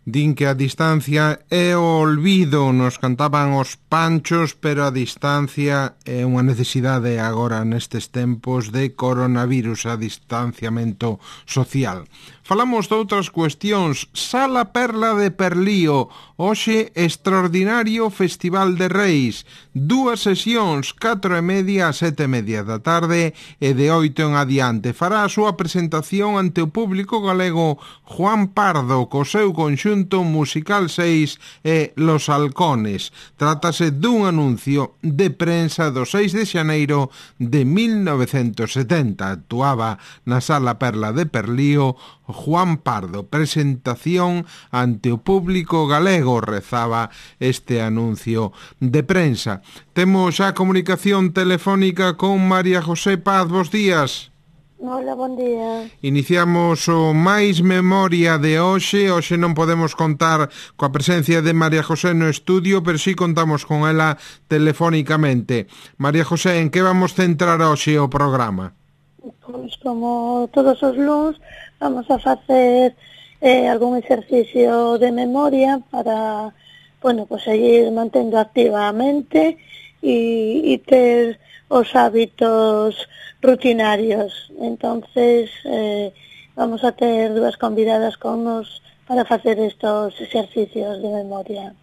Din que a distancia é o olvido, nos cantaban os Panchos, pero a distancia é unha necesidade agora nestes tempos de coronavirus, a distanciamento social. Falamos de outras cuestións. Sala Perla de Perlío, hoxe extraordinario Festival de Reis. 2 sesións, 4:30 a 7:30 da tarde e de 8 en adiante. Fará a súa presentación ante o público galego Juan Pardo, co seu conxunto musical 6 e Los Halcones. Trátase dun anuncio de prensa do 6 de xaneiro de 1970. Actuaba na Sala Perla de Perlío Juan Pardo. Presentación ante o público galego, rezaba este anuncio de prensa. Temos a comunicación telefónica con María José Paz. Bos días. Hola, bon día. Iniciamos o máis memoria de hoxe. Hoxe non podemos contar coa presencia de María José no estudio, pero sí contamos con ela telefónicamente. María José, en que vamos centrar hoxe o programa? Pois como todos os luns vamos a facer algún exercicio de memoria para, seguir mantendo activa a mente e ter os hábitos rutinarios. Entonces vamos a ter dúas convidadas con nos para facer estos exercicios de memoria.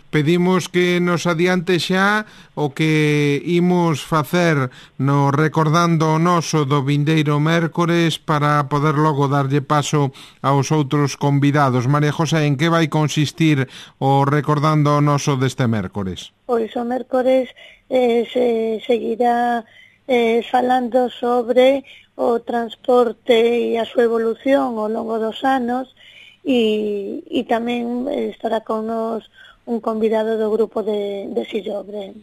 Pedimos que nos adiante xa o que imos facer no Recordando o Noso do vindeiro mércores para poder logo darlle paso aos outros convidados. María José, en que vai consistir o Recordando o Noso deste mércores? Pois o mércores se seguirá falando sobre o transporte e a súa evolución ao longo dos anos e tamén estará con nos un convidado do grupo de Sillobre.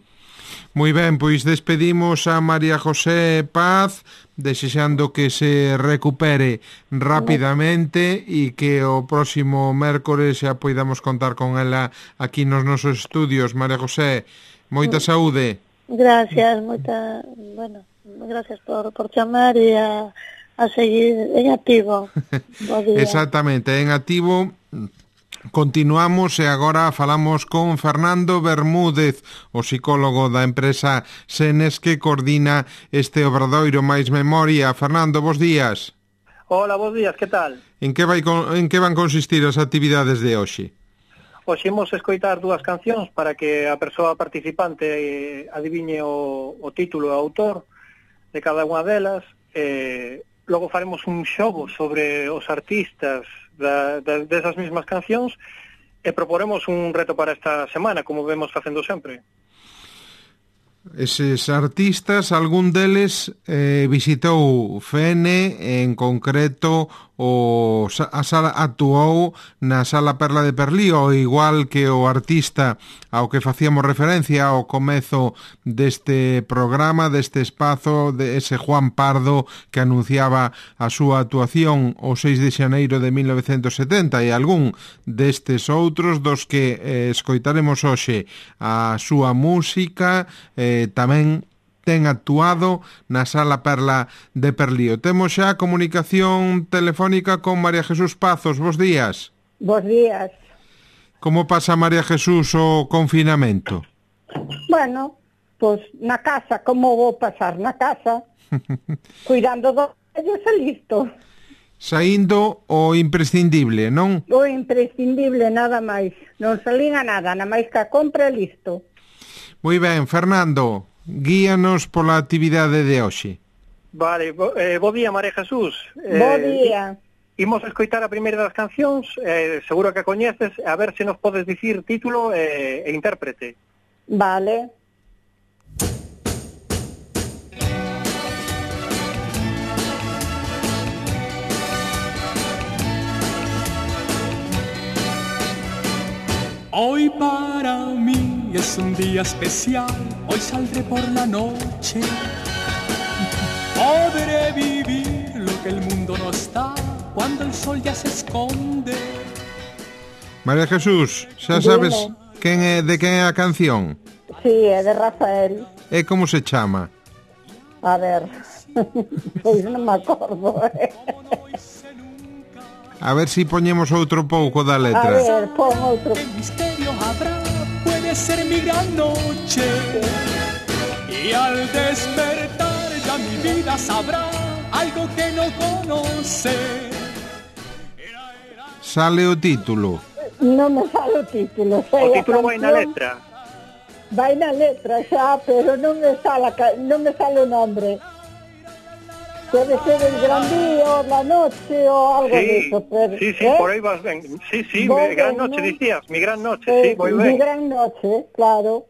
Moi ben, pois despedimos a María José Paz, desexando que se recupere rapidamente e que o próximo mércores xa poidamos contar con ela aquí nos nosos estudios. María José, moita saúde. Gracias, gracias por chamar e a seguir en activo. Exactamente, en activo. Continuamos e agora falamos con Fernando Bermúdez, o psicólogo da empresa Senes que coordina este obradoiro máis memoria. Fernando, bos días. Hola, bos días, que tal? En que van consistir as actividades de hoxe? Hoxe imos escoitar dúas cancións para que a persoa participante adiviñe o título e o autor de cada unha delas. Logo faremos un xogo sobre os artistas desas mesmas cancións e proporemos un reto para esta semana, como vemos facendo sempre. Eses artistas, algún deles visitou Fene, en concreto actuou na Sala Perla de Perlío, igual que o artista ao que facíamos referencia ao comezo deste programa, deste espazo, de ese Juan Pardo que anunciaba a súa actuación o 6 de xaneiro de 1970 e algún destes outros dos que escoitaremos hoxe a súa música tamén ten actuado na Sala Perla de Perlío. Temos xa comunicación telefónica con María Jesús Pazos. Bos días. Bos días. Como pasa, María Jesús, o confinamento? Bueno, pois na casa, como vou pasar na casa? Cuidando dos vellos e listo. Saindo o imprescindible, non? O imprescindible, nada máis. Non salín a nada, nada máis que a compra e listo. Moi ben, Fernando, guíanos pola actividade de hoxe. Vale, bo día, María Jesús. Bo día. Imos a escoitar a primeira das cancións, seguro que a coñeces, a ver se nos podes dicir título e intérprete. Vale. Hoy para mí es un día especial, hoy saldré por la noche. Podré vivir lo que el mundo no está cuando el sol ya se esconde. María Jesús, xa sabes de quen é a canción? Sí, é de Rafael. E como se chama? A ver, pois non me acordo. A ver si poñemos outro pouco da A letra. ver, pon outro. Misterio habrá, puede ser mi gran noche. Y al despertar ya mi vida sabrá algo que no conoce. Sale o título. Non me sale o título. O Sei a título vai na canción, letra. vai na letra xa, pero non me sale o nombre. Puede ser el gran día o la noche o algo de Sí, eso. Pero, sí, por aí vas ben. Sí, Vou mi gran ben, noche, non? dicías, mi gran noche, sí, moi Mi ben. gran noche, claro.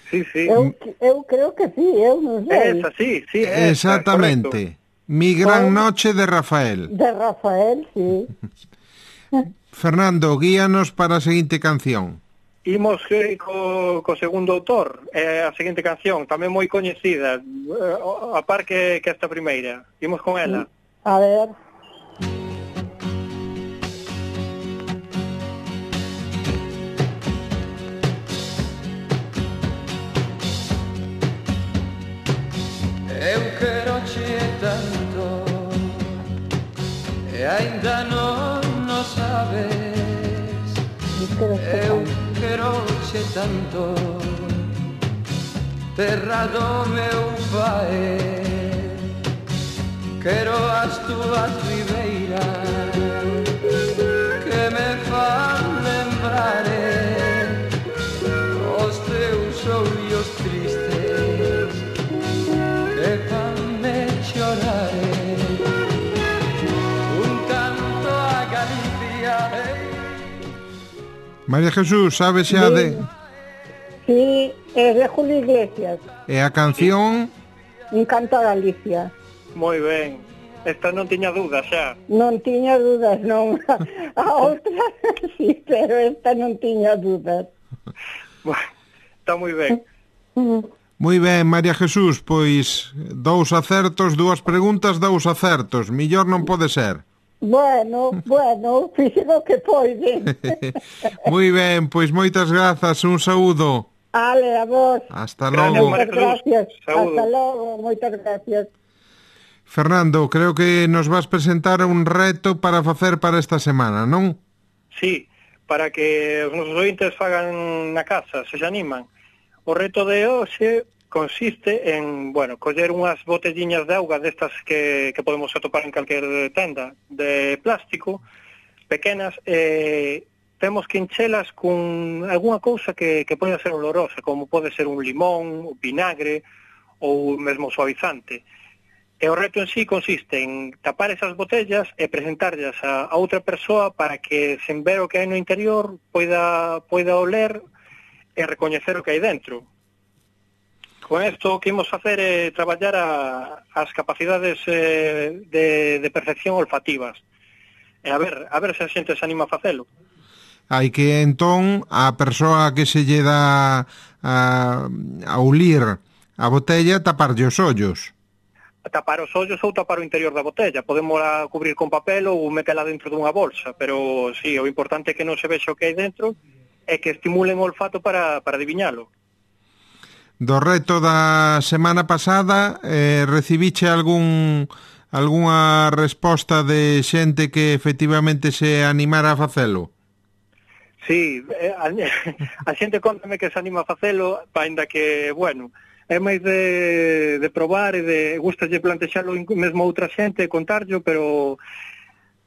Sí, sí. Eu creo que sí, eu non sei. Esa, sí, esa, Exactamente. Mi gran noche de Rafael. De Rafael, sí. Fernando, guíanos para a seguinte canción. Imos co segundo autor, a seguinte canción, tamén moi coñecida, a par que esta primeira. Imos con ela. A ver. Eu queroche tanto e aínda non sabes. Eu queroche tanto, terra do meu pai. Quero as túas ribeiras que me fan lembrar os teus ollos tristes que fanme chorar. Un canto a Galicia. María Jesús, sabe xa de... Sí, es de Julio Iglesias. E a canción... Un canto a Galicia. Moi ben. Esta non tiña dudas xa. Non tiña dudas, non. A outra sí, pero esta non tiña dudas. Está moi ben. Moi ben, María Jesús, pois 2 acertos, 2 preguntas, 2 acertos. Millor non pode ser. Bueno, fixen o que poide. Moi ben, pois moitas grazas, un saúdo. Ale, a vos. Hasta Gracias, logo. María Moitas gracias. Saúdo. Hasta logo, moitas gracias. Fernando, creo que nos vas presentar un reto para facer para esta semana, non? Sí, para que os nosos ointes fagan na casa, se animan. O reto de hoxe consiste en, coller unhas botelliñas de auga destas que podemos atopar en calquer tenda de plástico, pequenas, temos que enchelas con algunha cousa que pode ser olorosa, como pode ser un limón, vinagre ou mesmo suavizante. E o reto en sí consiste en tapar esas botellas e presentarlas a outra persoa para que, sen ver o que hai no interior, poida oler e recoñecer o que hai dentro. Con isto o que imos facer é traballar as capacidades de percepción olfativas. E a ver se a xente se anima a facelo. Hai que, entón, a persoa que se lle dá a ulir a botella taparlle os ollos. Tapar os ollos ou tapar o interior da botella. Podemos cubrir con papel ou metela dentro dunha bolsa, pero sí, o importante é que non se vexa o que hai dentro e que estimulen o olfato para adiviñalo. Do reto da semana pasada, recibiche algunha resposta de xente que efectivamente se animara a facelo? Sí, a xente contame que se anima a facelo, ainda que, é máis de probar e de gustalle plantexalo mesmo a outra xente e contarlo, pero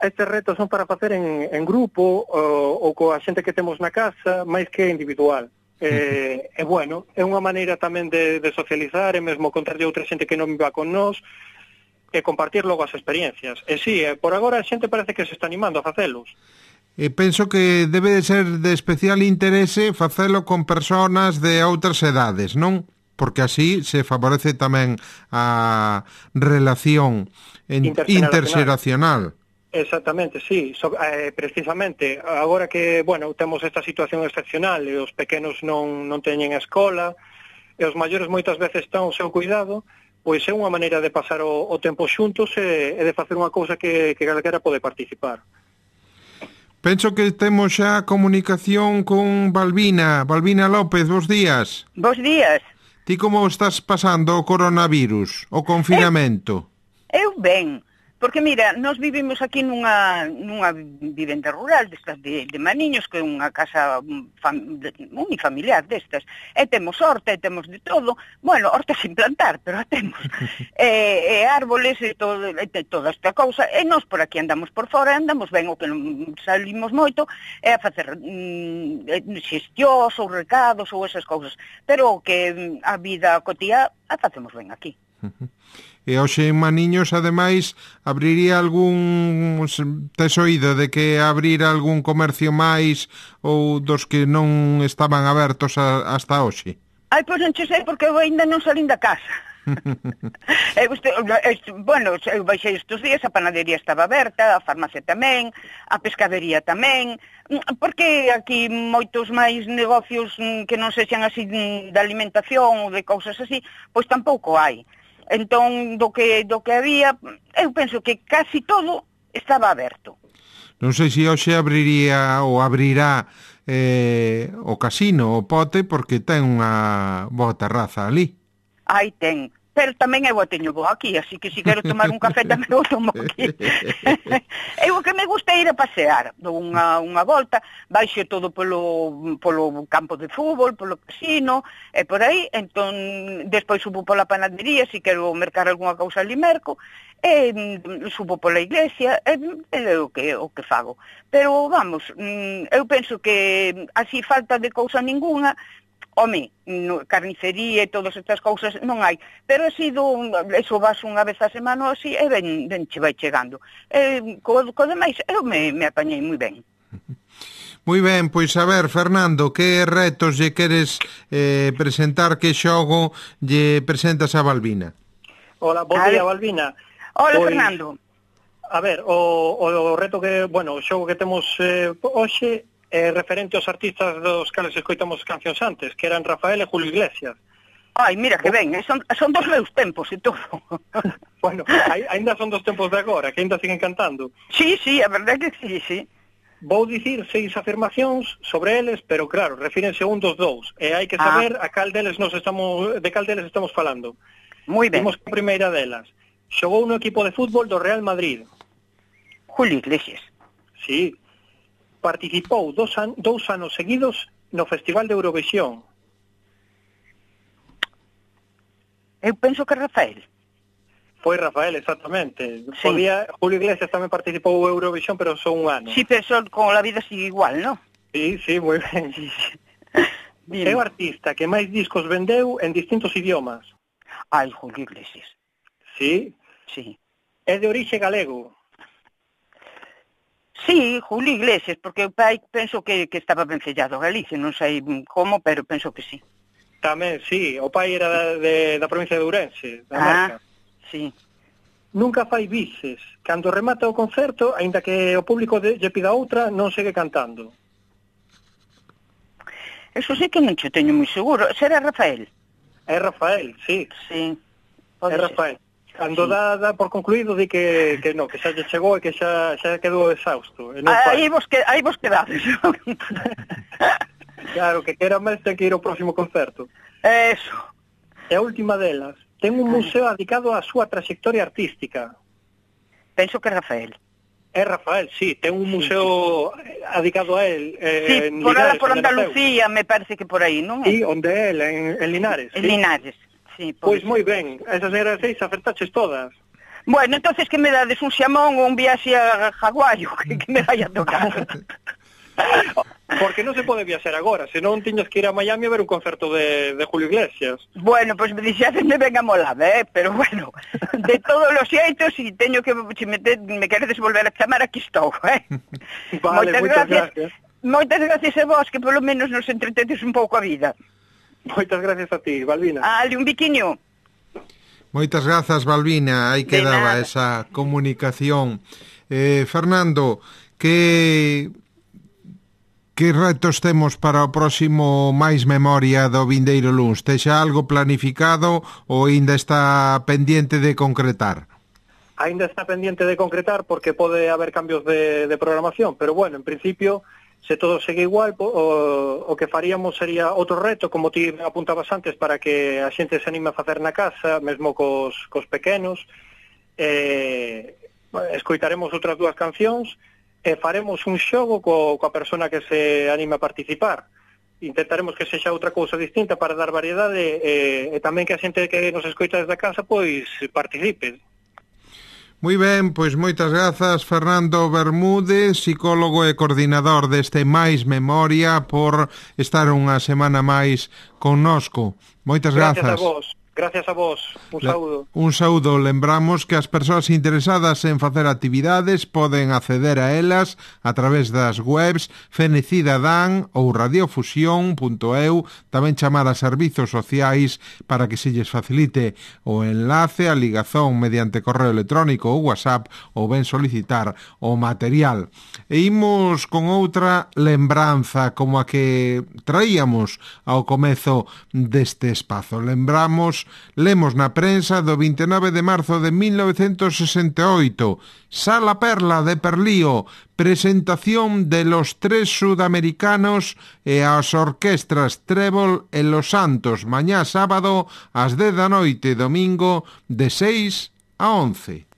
estes retos son para facer en grupo ou coa xente que temos na casa, máis que individual. É unha maneira tamén de socializar e mesmo contarlle a outra xente que non viva con nós e compartir logo as experiencias. E sí, por agora a xente parece que se está animando a facelos. E penso que debe de ser de especial interese facelo con personas de outras edades, non? Porque así se favorece tamén a relación interxeracional. Exactamente, sí. Precisamente, agora que, temos esta situación excepcional e os pequenos non teñen escola e os maiores moitas veces están ao seu cuidado, pois é unha maneira de pasar o tempo xuntos e de facer unha cousa que calquera pode participar. Penso que temos xa comunicación con Balbina. Balbina López, bos días. Bos días. Ti como estás pasando o coronavirus, o confinamento? Eu ben, Porque, mira, nós vivimos aquí nunha vivenda rural destas de Maniños, que é unha casa unifamiliar destas, e temos horta, e temos de todo, bueno, horta sin plantar, pero a temos, e árboles, e toda esta cousa, e nós por aquí andamos por fora, andamos ben, o que non salimos moito, é a facer xestións ou recados ou esas cousas, pero o que a vida cotía a facemos ben aquí. E hoxe en Maniños, ademais, abriría algún... Tes oído de que abrir algún comercio máis ou dos que non estaban abertos hasta hoxe? Ai, pois non che sei, porque eu ainda non salín da casa. Bueno, eu baixei estes días, a panadería estaba aberta, a farmacia tamén, a pescadería tamén, porque aquí moitos máis negocios que non sexan así de alimentación ou de cousas así, pois tampouco hai. Entón, do que había, eu penso que casi todo estaba aberto. Non sei se hoxe abriría ou abrirá o casino, o Pote, porque ten unha boa terraza ali. Aí ten, pero tamén eu a teño boa aquí, así que se quero tomar un café tamén o tomo aquí. Eu o que me gusta é ir a pasear, dou unha volta, baixo todo polo campo de fútbol, polo casino, e por aí, entón, despois subo pola panadería, se quero mercar algunha cousa ali merco, e subo pola iglesia, é o que fago. Pero, vamos, eu penso que así falta de cousa ninguna, home, carnicería e todas estas cousas non hai, pero ha sido, eso vas unha vez a semana así, e ben che vai chegando. Co demais, eu me apañei moi ben. Moi ben, pois a ver, Fernando, que retos lle queres presentar, que xogo lle presentas a Balbina? Hola, bo día, Balbina. Hola, pois, Fernando. A ver, o reto que, bueno, o xogo que temos hoxe referente aos artistas dos cales escoitamos cancións antes, que eran Rafael e Julio Iglesias. Ai, mira que ben, son dos meus tempos e todo. Bueno, ainda son dos tempos de agora, que ainda siguen cantando. Sí, a verdade que sí. Vou dicir 6 afirmacións sobre eles, pero claro, refírense un dos dous, e hai que saber de cal deles estamos falando. Moi ben. Vimos a primeira delas. Xogou no equipo de fútbol do Real Madrid. Julio Iglesias. Sí. Participou 2 anos seguidos no Festival de Eurovisión. Eu penso que Rafael. Foi Rafael, exactamente. Sí. Julio Iglesias tamén participou en Eurovisión, pero só un ano. Sí, pero con la vida sigue igual, ¿no? Sí, moi ben. Sí. É o artista que máis discos vendeu en distintos idiomas. Ai, Julio Iglesias. Sí? Sí. É de orixe galego. Sí, Julio Iglesias, porque o pai penso que estaba ben sellado a Galicia, non sei como, pero penso que sí. Tamén, sí, o pai era da provincia de Ourense, da Marca. Sí. Nunca fai bises. Cando remata o concerto, aínda que o público lle pida outra, non segue cantando. Eso sí que non che teño moi seguro. Será Rafael? É Rafael, sí. Sí. É Rafael. Cando dá por concluído di que non, que xa lle chegou e que xa quedou exhausto. Aí vos quedades. Claro, que quera máis ten que ir ao próximo concerto. Eso. E a última delas, ten un museo dedicado á súa trayectoria artística. Penso que é Rafael. É Rafael, sí, ten un museo dedicado a él. Sí, por Andalucía, me parece que por aí, non? Sí, onde é él, en Linares. En Linares. Sí, pois moi ben, esas eran 6, acertaches todas. Bueno, entonces que me dades un xamón ou un viaxe a Hawái, que me vai a tocar. Porque non se pode viaxar agora, senón tiñas que ir a Miami a ver un concerto de Julio Iglesias. Bueno, pois me dixadesme ben amolada, pero bueno, de todos os xeitos, se teño que, se me queredes volver a chamar, aquí estou, Vale, moitas gracias. Moitas gracias a vos, que polo menos nos entretedes un pouco a vida. Moitas gracias a ti, Balbina. Un biquiño. Moitas grazas, Balbina. Aí quedaba esa comunicación. Fernando, que retos temos para o próximo Máis Memoria do vindeiro luns? Texa algo planificado ou ainda está pendiente de concretar? Ainda está pendiente de concretar porque pode haber cambios de programación, pero bueno, en principio, se todo segue igual, o que faríamos sería outro reto, como ti apuntabas antes, para que a xente se anime a facer na casa, mesmo cos pequenos, escoitaremos outras 2 cancións e faremos un xogo coa persona que se anime a participar. Intentaremos que sexa outra cousa distinta para dar variedade e tamén que a xente que nos escoita desde a casa pois participe. Moi ben, pois moitas grazas Fernando Bermúdez, psicólogo e coordinador deste Mais Memoria, por estar unha semana máis connosco. Moitas grazas. Gracias a vos. Un saúdo. Un saúdo. Lembramos que as persoas interesadas en facer actividades poden acceder a elas a través das webs Fenecidadan ou radiofusión.eu, tamén chamar a servizos sociais para que se lles facilite o enlace, a ligazón mediante correo electrónico ou WhatsApp, ou ben solicitar o material. E imos con outra lembranza como a que traíamos ao comezo deste espazo. Lemos na prensa do 29 de marzo de 1968, Sala Perla de Perlío, presentación de Los Tres Sudamericanos e as orquestras Trébol e Los Santos, mañá sábado ás 10 da noite, domingo de 6 a 11.